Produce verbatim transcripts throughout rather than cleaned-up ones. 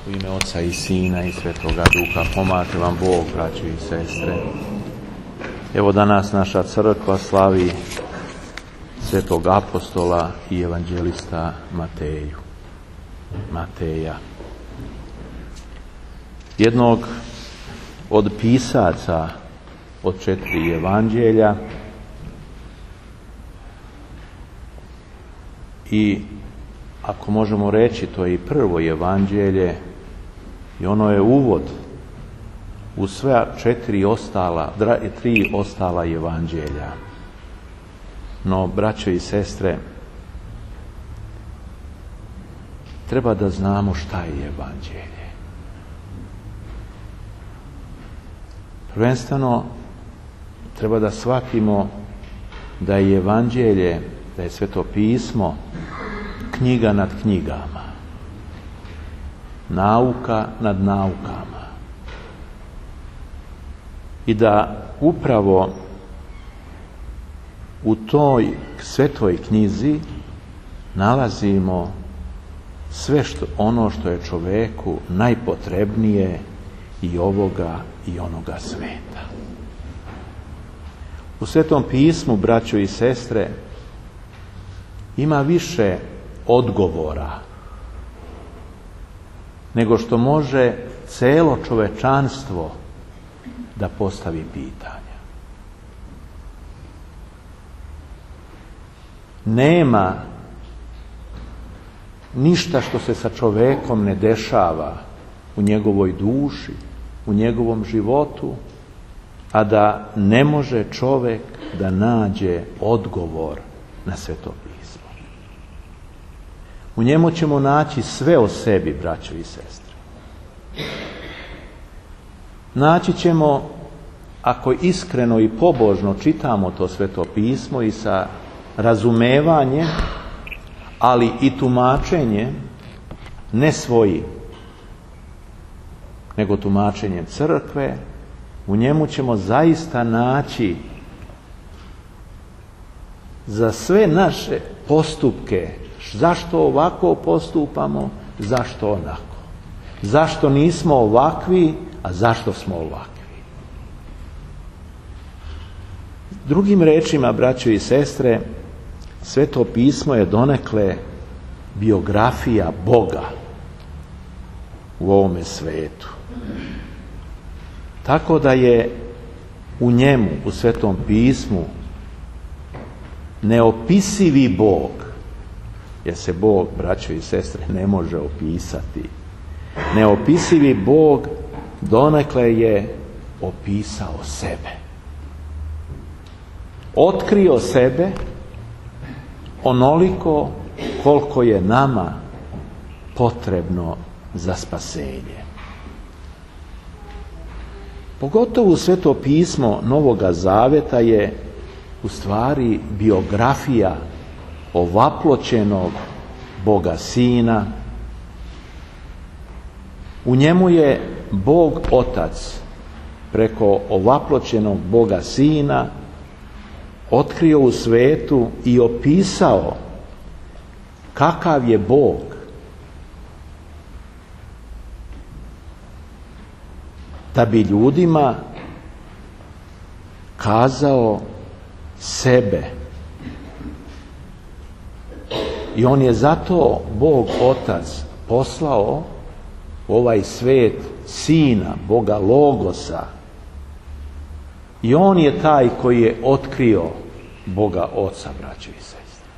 U ime Oca i Sina i Svetoga Duha, pomaže vam Bog, braćo i sestre. Evo danas naša crkva slavi Svetog apostola i evanđelista Mateju. Mateja. Jednog od pisaca od četiri evanđelja i ako možemo reći, to je i prvo evanđelje i ono je uvod u sve četiri ostala, tri ostala evanđelja. No, braćo i sestre, treba da znamo šta je evanđelje. Prvenstveno, treba da shvatimo da je evanđelje, da je Sveto pismo knjiga nad knjigama, nauka nad naukama i da upravo u toj svetoj knjizi nalazimo sve što, ono što je čoveku najpotrebnije i ovoga i onoga sveta. U Svetom pismu, braćo i sestre, ima više odgovora nego što može celo čovečanstvo da postavi pitanja. Nema ništa što se sa čovekom ne dešava u njegovoj duši, u njegovom životu, a da ne može čovek da nađe odgovor na Sveto pismo. U njemu ćemo naći sve o sebi, braćo i sestre. Naći ćemo, ako iskreno i pobožno čitamo to Sveto pismo i sa razumevanjem, ali i tumačenjem, ne svojim, nego tumačenjem crkve, u njemu ćemo zaista naći za sve naše postupke, zašto ovako postupamo, zašto onako. Zašto nismo ovakvi, a zašto smo ovakvi. Drugim rečima, braćo i sestre, Sveto pismo je donekle biografija Boga u ovome svetu. Tako da je u njemu, u Svetom pismu, neopisivi Bog, jer se Bog, braćo i sestre, ne može opisati. Neopisivi Bog donekle je opisao sebe. Otkrio sebe onoliko koliko je nama potrebno za spasenje. Pogotovo Sveto pismo Novoga Zaveta je u stvari biografija ovaploćenog Boga Sina. U njemu je Bog Otac preko ovaploćenog Boga Sina otkrio u svetu i opisao kakav je Bog. Da bi ljudima kazao sebe. I on je zato Bog Otac poslao u ovaj svet Sina, Boga Logosa. I on je taj koji je otkrio Boga Oca, braćo i sestre.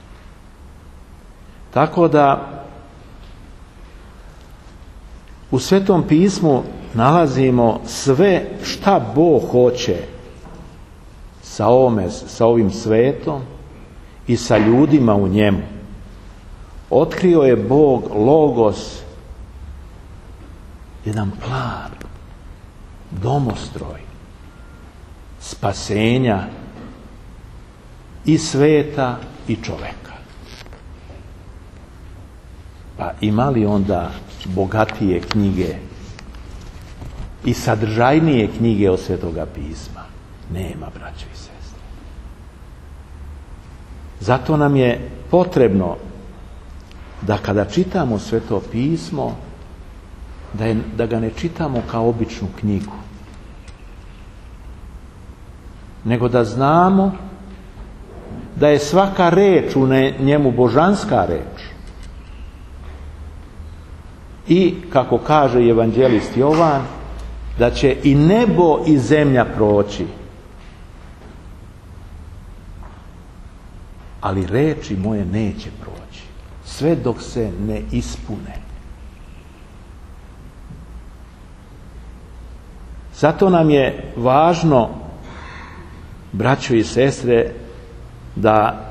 Tako da u Svetom pismu nalazimo sve šta Bog hoće sa, ovome, sa ovim svetom i sa ljudima u njemu. Otkrio je Bog Logos jedan plan, domostroj spasenja i sveta i čoveka. Pa ima li onda bogatije knjige i sadržajnije knjige od Svetoga pisma? Nema, braćo i sestre. Zato nam je potrebno da kada čitamo Sveto pismo da, je, da ga ne čitamo kao običnu knjigu, nego da znamo da je svaka reč u njemu božanska reč. I, kako kaže evanđelist Jovan, da će i nebo i zemlja proći, ali reči moje neće proći, sve dok se ne ispune. Zato nam je važno, braćo i sestre, da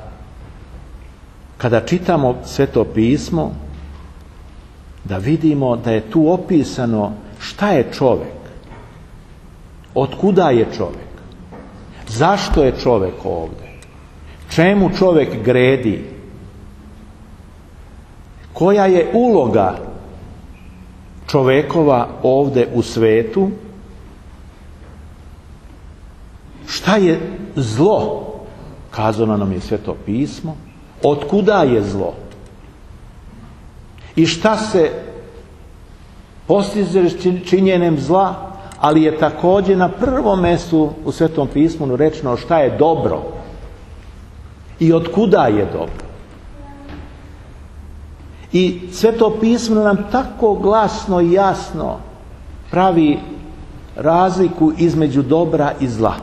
kada čitamo Sveto pismo, da vidimo da je tu opisano šta je čovjek, otkuda je čovjek, zašto je čovjek ovdje, čemu čovjek gredi, koja je uloga čovjekova ovdje u svetu, šta je zlo, kazano nam je Sveto pismo, otkuda je zlo i šta se postiže činjenjem zla, ali je također na prvom mjestu u Svetom pismu rečeno šta je dobro i otkuda je dobro. I Sveto pismo nam tako glasno i jasno pravi razliku između dobra i zla.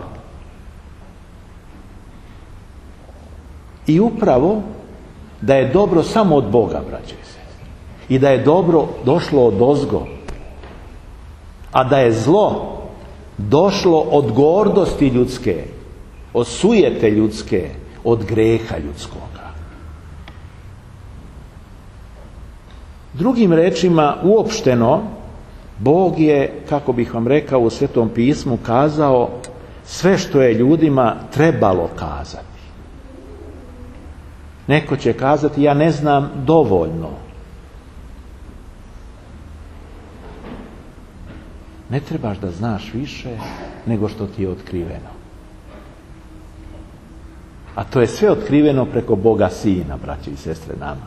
I upravo da je dobro samo od Boga, braće i sestre, i da je dobro došlo od ozgo, a da je zlo došlo od gordosti ljudske, od sujete ljudske, od greha ljudskoga. Drugim rečima, uopšteno, Bog je, kako bih vam rekao, u Svetom pismu kazao sve što je ljudima trebalo kazati. Neko će kazati, ja ne znam dovoljno. Ne trebaš da znaš više nego što ti je otkriveno. A to je sve otkriveno preko Boga Sina, braće i sestre, nama.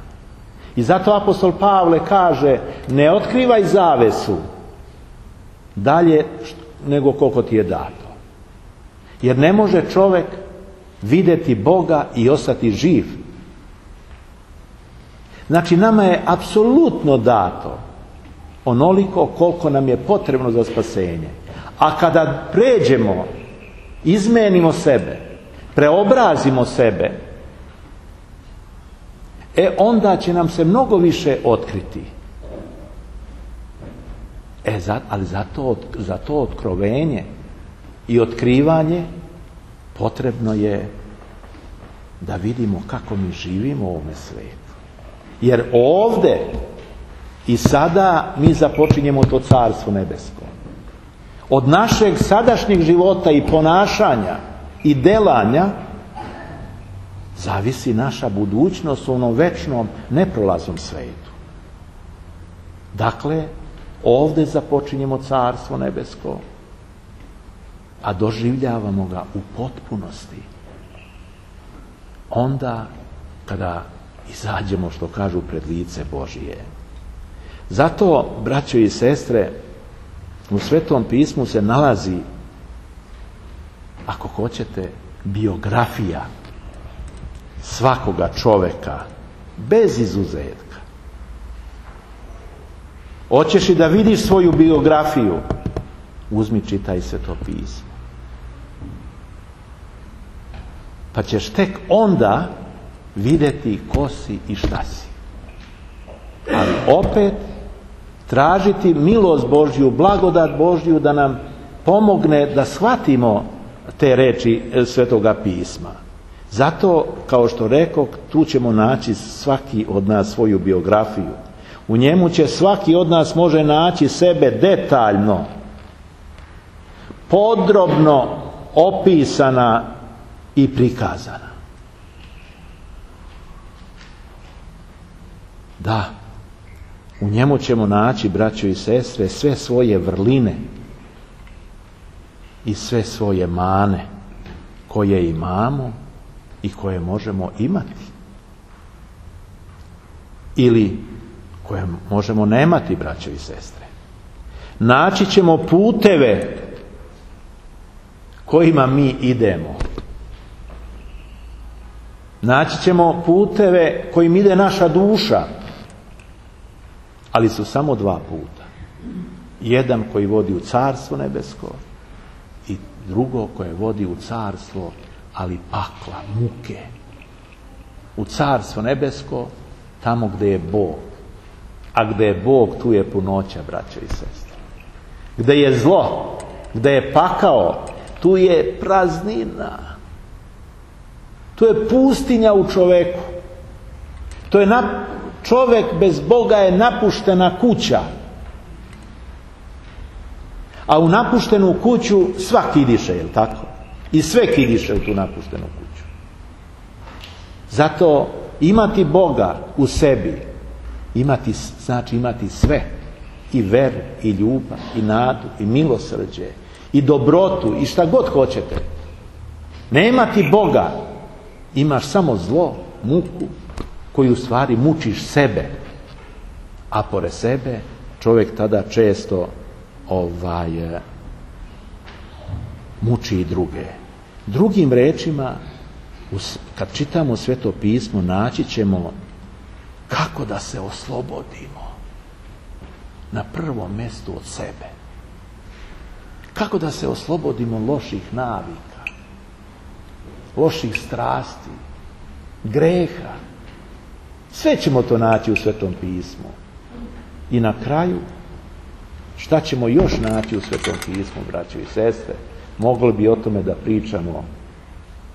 I zato apostol Pavle kaže, ne otkrivaj zavesu dalje nego koliko ti je dato. Jer ne može čovjek vidjeti Boga i ostati živ. Znači, nama je apsolutno dato onoliko koliko nam je potrebno za spasenje. A kada pređemo, izmenimo sebe, preobrazimo sebe, e onda će nam se mnogo više otkriti. E, za, ali za to, za to otkrovenje i otkrivanje potrebno je da vidimo kako mi živimo u ovome svijetu. Jer ovdje i sada mi započinjemo to carstvo nebesko. Od našeg sadašnjeg života i ponašanja i delanja zavisi naša budućnost u onom večnom, neprolaznom svijetu. Dakle, ovdje započinjemo carstvo nebesko, a doživljavamo ga u potpunosti onda kada izađemo, što kažu, pred lice Božije. Zato, braćo i sestre, u Svetom pismu se nalazi, ako hoćete, biografija svakoga čovjeka, bez izuzetka. Hoćeš i da vidiš svoju biografiju? Uzmi, čitaj Sveto pismo. Pa ćeš tek onda vidjeti ko si i šta si. Ali opet tražiti milost Božju, blagodat Božju da nam pomogne da shvatimo te reči Svetoga pisma. Zato, kao što rekoh, tu ćemo naći svaki od nas svoju biografiju. U njemu će svaki od nas može naći sebe detaljno, podrobno opisana i prikazana. Da, u njemu ćemo naći, braćo i sestre, sve svoje vrline i sve svoje mane koje imamo i koje možemo imati. Ili koje možemo nemati, braćo i sestre. Naći ćemo puteve kojima mi idemo. Naći ćemo puteve kojim ide naša duša, ali su samo dva puta. Jedan koji vodi u carstvo nebesko i drugo koje vodi u carstvo, ali pakla, muke. U carstvo nebesko, tamo gdje je Bog. A gdje je Bog, tu je punoća, braćo i sestre. Gdje je zlo, gdje je pakao, tu je praznina. Tu je pustinja u čoveku. To je na, čovjek bez Boga je napuštena kuća. A u napuštenu kuću svaki kidiše, je li tako? I sve kidiše u tu napuštenu kuću. Zato imati Boga u sebi, imati, znači imati sve. I veru, i ljubav, i nadu, i milosrđe, i dobrotu, i šta god hoćete. Ne imati Boga, imaš samo zlo, muku, koju u stvari mučiš sebe. A pored sebe čovjek tada često ovaj, muči i druge. Drugim rečima, kad čitamo Sveto pismo, naći ćemo kako da se oslobodimo na prvom mjestu od sebe. Kako da se oslobodimo loših navika, loših strasti, greha. Sve ćemo to naći u Svetom pismu. I na kraju, šta ćemo još naći u Svetom pismu, braćo i sestre? Mogli bi o tome da pričamo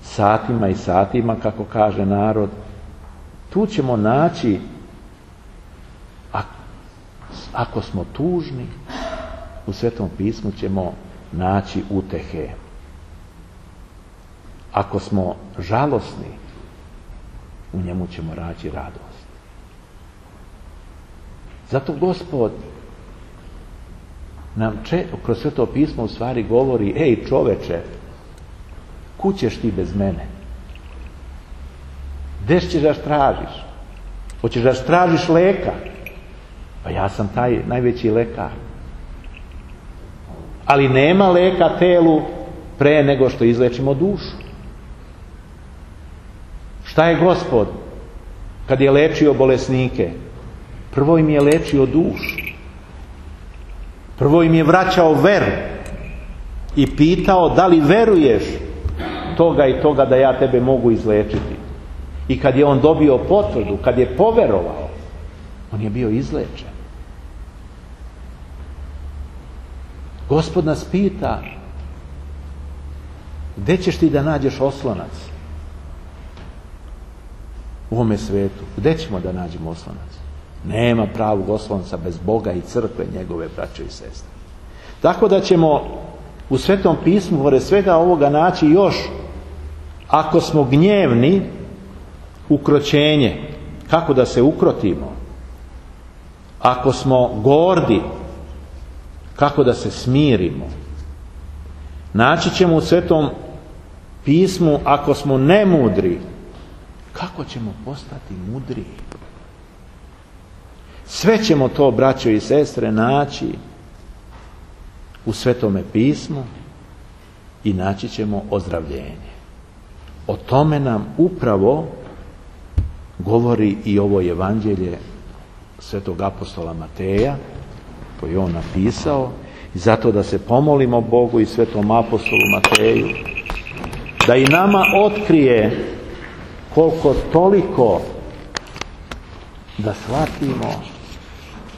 satima i satima, kako kaže narod. Tu ćemo naći, ako smo tužni, u Svetom pismu ćemo naći utehe. Ako smo žalosni, u njemu ćemo naći radost. Zato Gospod nam če, kroz Sveto pismo u stvari govori: ej čoveče, kud ćeš ti bez mene? Gdje ćeš da tražiš? Hoćeš da tražiš leka? Pa ja sam taj najveći lekar. Ali nema leka telu pre nego što izlečimo dušu. Šta je Gospod kad je lečio bolesnike? Prvo im je lečio dušu. Prvo im je vraćao veru i pitao: da li veruješ toga i toga da ja tebe mogu izlečiti? I kad je on dobio potvrdu, kad je poverovao, on je bio izlečen. Gospod nas pita: gdje ćeš ti da nađeš oslonac u ovome svetu? Gdje ćemo da nađemo oslonac? Nema pravog oslonca bez Boga i crkve njegove, braćo i sestre. Tako da ćemo u Svetom pismu pored svega ovoga naći još, ako smo gnjevni, ukroćenje, kako da se ukrotimo. Ako smo gordi, kako da se smirimo. Naći ćemo u Svetom pismu, ako smo nemudri, kako ćemo postati mudriji. Sve ćemo to, braćo i sestre, naći u Svetome pismu i naći ćemo ozdravljenje. O tome nam upravo govori i ovo evanđelje Svetog apostola Mateja, koji je on napisao, i zato da se pomolimo Bogu i Svetom apostolu Mateju da i nama otkrije koliko toliko, da shvatimo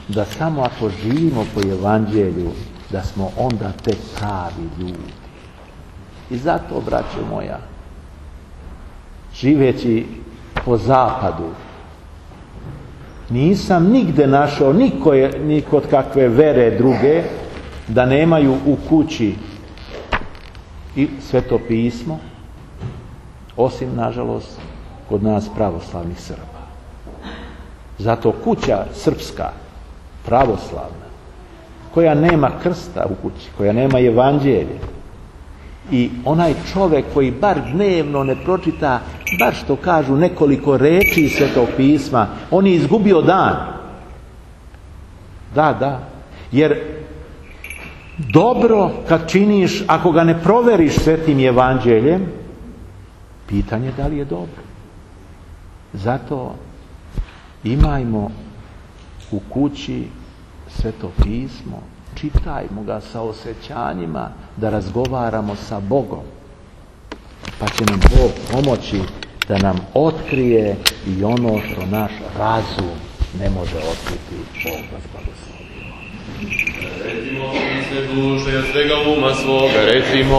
da samo ako živimo po evanđelju, da smo onda tek pravi ljudi. I zato, braćo moja, živeći po zapadu, nisam nigde našao niko, ni kod kakve vere druge da nemaju u kući i Sveto pismo, osim, nažalost, kod nas pravoslavnih Srba. Zato kuća srpska, pravoslavna, koja nema krsta u kući, koja nema evanđelje, i onaj čovjek koji bar dnevno ne pročita, bar što kažu nekoliko reči iz Svetog pisma, on je izgubio dan. Da, da. Jer dobro kad činiš, ako ga ne proveriš svetim evanđeljem, pitanje da li je dobro. Zato imajmo u kući Sveto pismo, čitajmo ga sa osjećanjima, da razgovaramo sa Bogom. Pa će nam Bog pomoći da nam otkrije i ono što naš razum ne može otkriti. Bog vas blagoslovi. Recimo, sve duše, od svega uma svoga, recimo...